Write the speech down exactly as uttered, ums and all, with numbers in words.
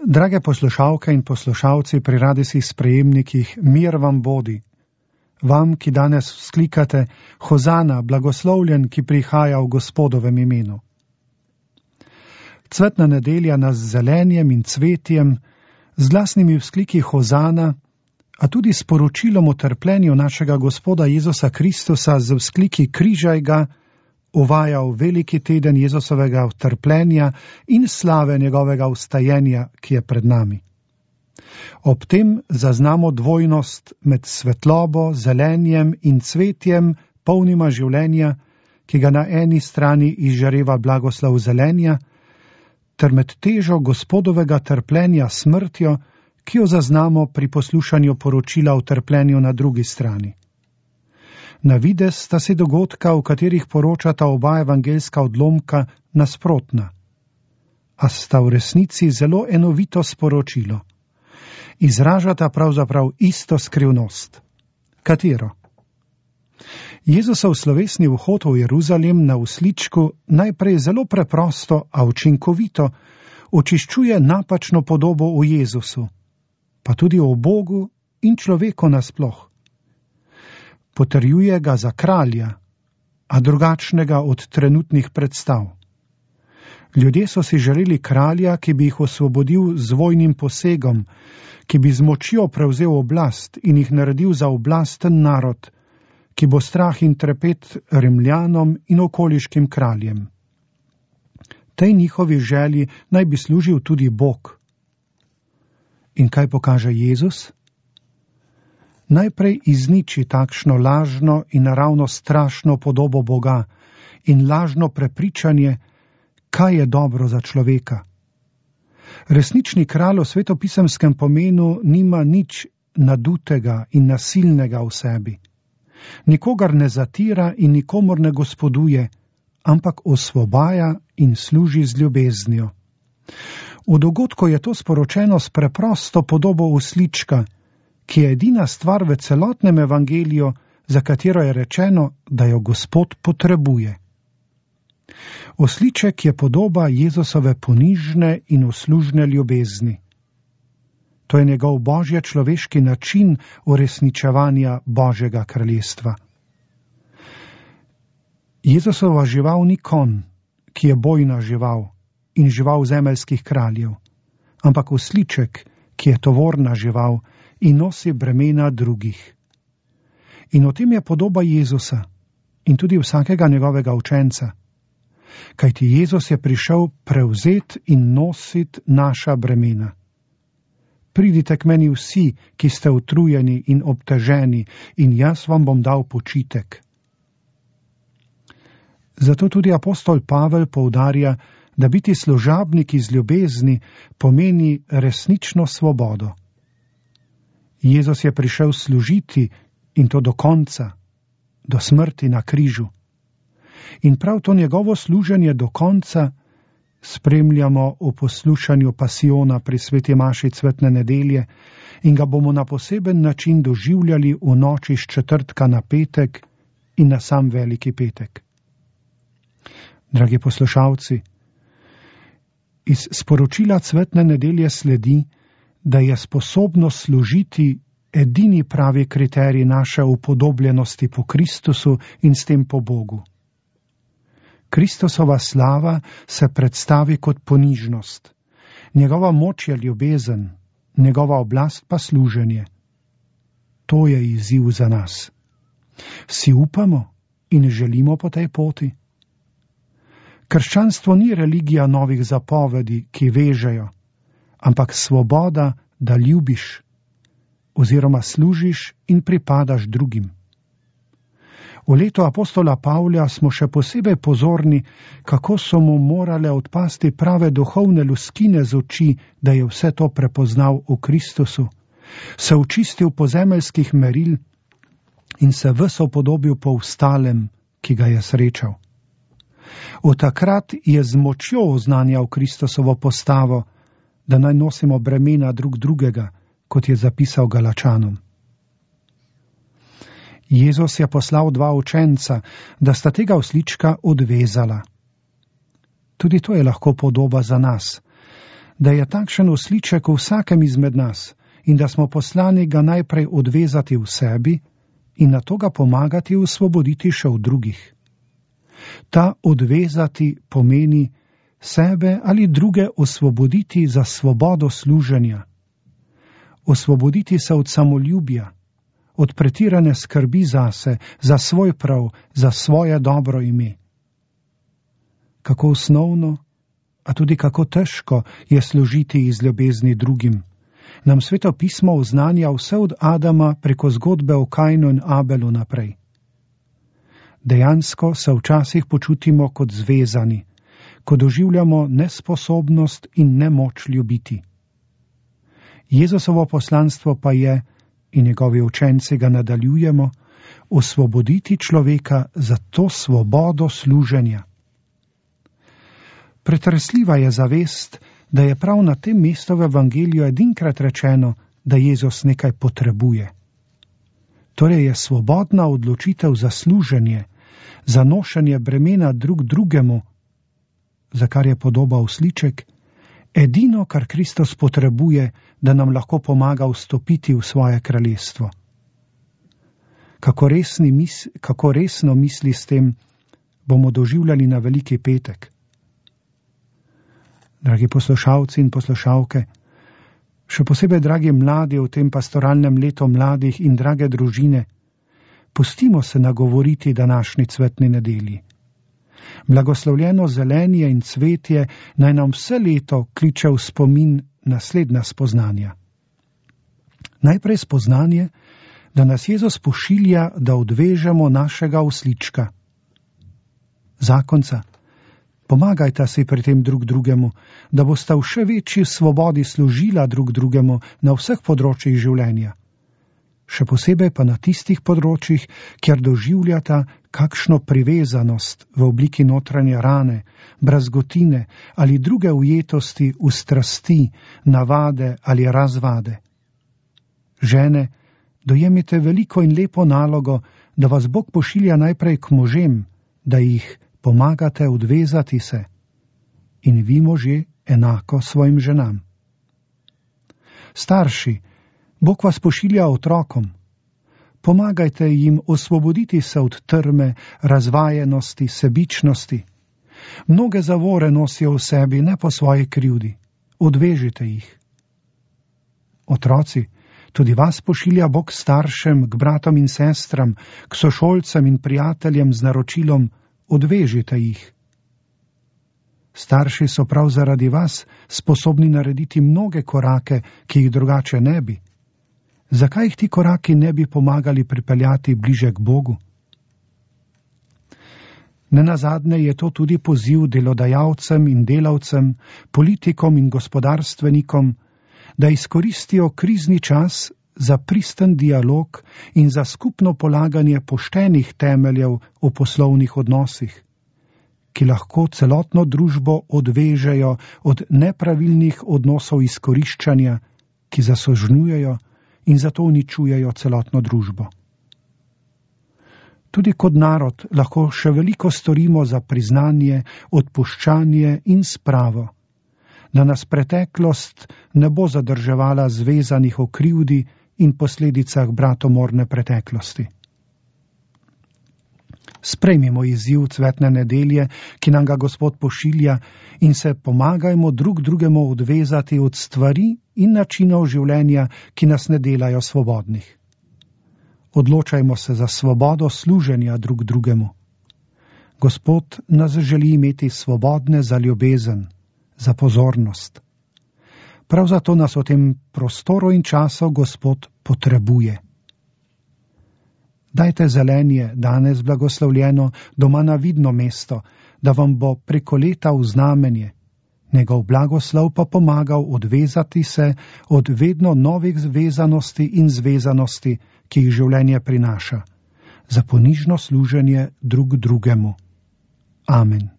Drage poslušalke in poslušalci pri radijskih sprejemnikih, mir vam bodi. Vam, ki danes vzklikate, Hozana, blagoslovljen, ki prihaja v Gospodovem imenu. Cvetna nedelja nas z zelenjem in cvetjem, z glasnimi vzkliki Hozana, a tudi s poročilom o trpljenju našega Gospoda Jezusa Kristusa z vzkliki Križaj ga, uvaja v veliki teden Jezusovega trpljenja in slave njegovega vstajenja, ki je pred nami. Ob tem zaznamo dvojnost med svetlobo, zelenjem in cvetjem, polnima življenja, ki ga na eni strani izžareva blagoslov zelenja, ter med težo Gospodovega trpljenja smrtjo, ki jo zaznamo pri poslušanju poročila o trpljenju na drugi strani. Na videz sta si dogodka, v katerih poročata oba evangeljska odlomka, nasprotna, a sta v resnici zelo enovito sporočilo. Izražata pravzaprav isto skrivnost. Katero? Jezusov slovesni vhod v Jeruzalem na usličku najprej zelo preprosto, a učinkovito očiščuje napačno podobo o Jezusu, pa tudi o Bogu in človeku nasploh. Potrjuje ga za kralja, a drugačnega od trenutnih predstav. Ljudje so si želeli kralja, ki bi jih osvobodil z vojnim posegom, ki bi z močjo prevzel oblast in jih naredil za oblasten narod, ki bo strah in trepet Rimljanom in okoliškim kraljem. Tej njihovi želji naj bi služil tudi Bog. In kaj pokaže Jezus? Najprej izniči takšno lažno in naravno strašno podobo Boga in lažno prepričanje, kaj je dobro za človeka. Resnični kralj v svetopisemskem pomenu nima nič nadutega in nasilnega v sebi. Nikogar ne zatira in nikomor ne gospoduje, ampak osvobaja in služi z ljubeznijo. V dogodku je to sporočeno s preprosto podobo uslička, ki je edina stvar v celotnem evangeliju, za katero je rečeno, da jo Gospod potrebuje. Osliček je podoba Jezusove ponižne in uslužne ljubezni. To je njegov božje človeški način uresničevanja Božjega kraljestva. Jezusova žival ni konj, ki je bojna žival in žival zemeljskih kraljev, ampak osliček, ki je tovorna žival in nosi bremena drugih. In o tem je podoba Jezusa in tudi vsakega njegovega učenca. Kajti Jezus je prišel prevzet in nosit naša bremena. Pridite k meni vsi, ki ste utrujeni in obteženi, in jaz vam bom dal počitek. Zato tudi apostol Pavel poudarja, da biti služabnik iz ljubezni pomeni resnično svobodo. Jezus je prišel služiti in to do konca, do smrti na križu. In prav to njegovo služenje do konca spremljamo v poslušanju pasiona pri sveti maši cvetne nedelje in ga bomo na poseben način doživljali v noči s četrtka na petek in na sam veliki petek. Dragi poslušalci, iz sporočila cvetne nedelje sledi, da je sposobnost služiti edini pravi kriterij naše upodobljenosti po Kristusu in s tem po Bogu. Kristusova slava se predstavi kot ponižnost, njegova moč je ljubezen, njegova oblast pa služenje. To je izziv za nas. Si upamo in želimo po tej poti? Krščanstvo ni religija novih zapovedi, ki vežejo, ampak svoboda, da ljubiš, oziroma služiš in pripadaš drugim. V letu apostola Pavla smo še posebej pozorni, kako so mu morale odpasti prave duhovne luskine z oči, da je vse to prepoznal v Kristusu, se očistil pozemeljskih meril in se ves upodobil po vstalem, ki ga je srečal. Od takrat je z močjo oznanjal Kristusovo postavo, da naj nosimo bremena drug drugega, kot je zapisal Galačanom. Jezus je poslal dva učenca, da sta tega oslička odvezala. Tudi to je lahko podoba za nas, da je takšen osliček v vsakem izmed nas in da smo poslani ga najprej odvezati v sebi in nato ga pomagati osvoboditi še v drugih. Ta odvezati pomeni sebe ali druge osvoboditi za svobodo služenja, osvoboditi se od samoljubja, od pretirane skrbi zase, za svoj prav, za svoje dobro ime. Kako osnovno, a tudi kako težko je služiti iz ljubezni drugim. Nam Sveto pismo oznanja vse od Adama preko zgodbe o Kainu in Abelu naprej. Dejansko se včasih počutimo kot zvezani, ko doživljamo nesposobnost in nemoč ljubiti. Jezusovo poslanstvo pa je, in njegovi učenci ga nadaljujemo, osvoboditi človeka za to svobodo služenja. Pretresljiva je zavest, da je prav na tem mestu v evangeliju edinkrat rečeno, da Jezus nekaj potrebuje. Torej je svobodna odločitev za služenje, za nošenje bremena drug drugemu, za kar je podoba osliček, edino, kar Kristus potrebuje, da nam lahko pomaga vstopiti v svoje kraljestvo. Kako, resni mis, kako resno misli s tem, bomo doživljali na Veliki petek. Dragi poslušalci in poslušalke, še posebej dragi mladi v tem pastoralnem letu mladih in drage družine, pustimo se nagovoriti današnji cvetni nedelji. Blagoslovljeno zelenje in cvetje naj nam vse leto kliče v spomin naslednja spoznanja. Najprej spoznanje, da nas Jezus pošilja, da odvežemo našega oslička. Zakonca, pomagajta si pri tem drug drugemu, da bosta v še večji svobodi služila drug drugemu na vseh področjih življenja. Še posebej pa na tistih področjih, kjer doživljata kakšno privezanost v obliki notranje rane, brazgotine ali druge ujetosti v strasti, navade ali razvade. Žene, dojemite veliko in lepo nalogo, da vas Bog pošilja najprej k možem, da jih pomagate odvezati se, in vi možje enako svojim ženam. Starši, Bog vas pošilja otrokom. Pomagajte jim osvoboditi se od trme, razvajenosti, sebičnosti. Mnoge zavore nosijo v sebi, ne po svoji krivdi. Odvežite jih. Otroci, tudi vas pošilja Bog staršem, k bratom in sestram, k sošolcem in prijateljem z naročilom: odvežite jih. Starši so prav zaradi vas sposobni narediti mnoge korake, ki jih drugače ne bi. Zakaj jih ti koraki ne bi pomagali pripeljati bliže k Bogu? Nenazadnje je to tudi poziv delodajalcem in delavcem, politikom in gospodarstvenikom, da izkoristijo krizni čas za pristen dialog in za skupno polaganje poštenih temeljev v poslovnih odnosih, ki lahko celotno družbo odvežejo od nepravilnih odnosov izkoriščanja, ki zasožnjujejo in zato uničujejo celotno družbo. Tudi kot narod lahko še veliko storimo za priznanje, odpuščanje in spravo, da nas preteklost ne bo zadrževala zvezanih o krivdi in posledicah bratomorne preteklosti. Sprejmimo izziv cvetne nedelje, ki nam ga Gospod pošilja, in se pomagajmo drug drugemu odvezati od stvari in načinov življenja, ki nas ne delajo svobodnih. Odločajmo se za svobodo služenja drug drugemu. Gospod nas želi imeti svobodne za ljubezen, za pozornost. Prav zato nas v tem prostoru in času Gospod potrebuje. Dajte zelenje, danes blagoslovljeno, doma na vidno mesto, da vam bo preko leta v znamenje. Njegov blagoslov pa pomagal odvezati se od vedno novih zvezanosti in zvezanosti, ki jih življenje prinaša, za ponižno služenje drug drugemu. Amen.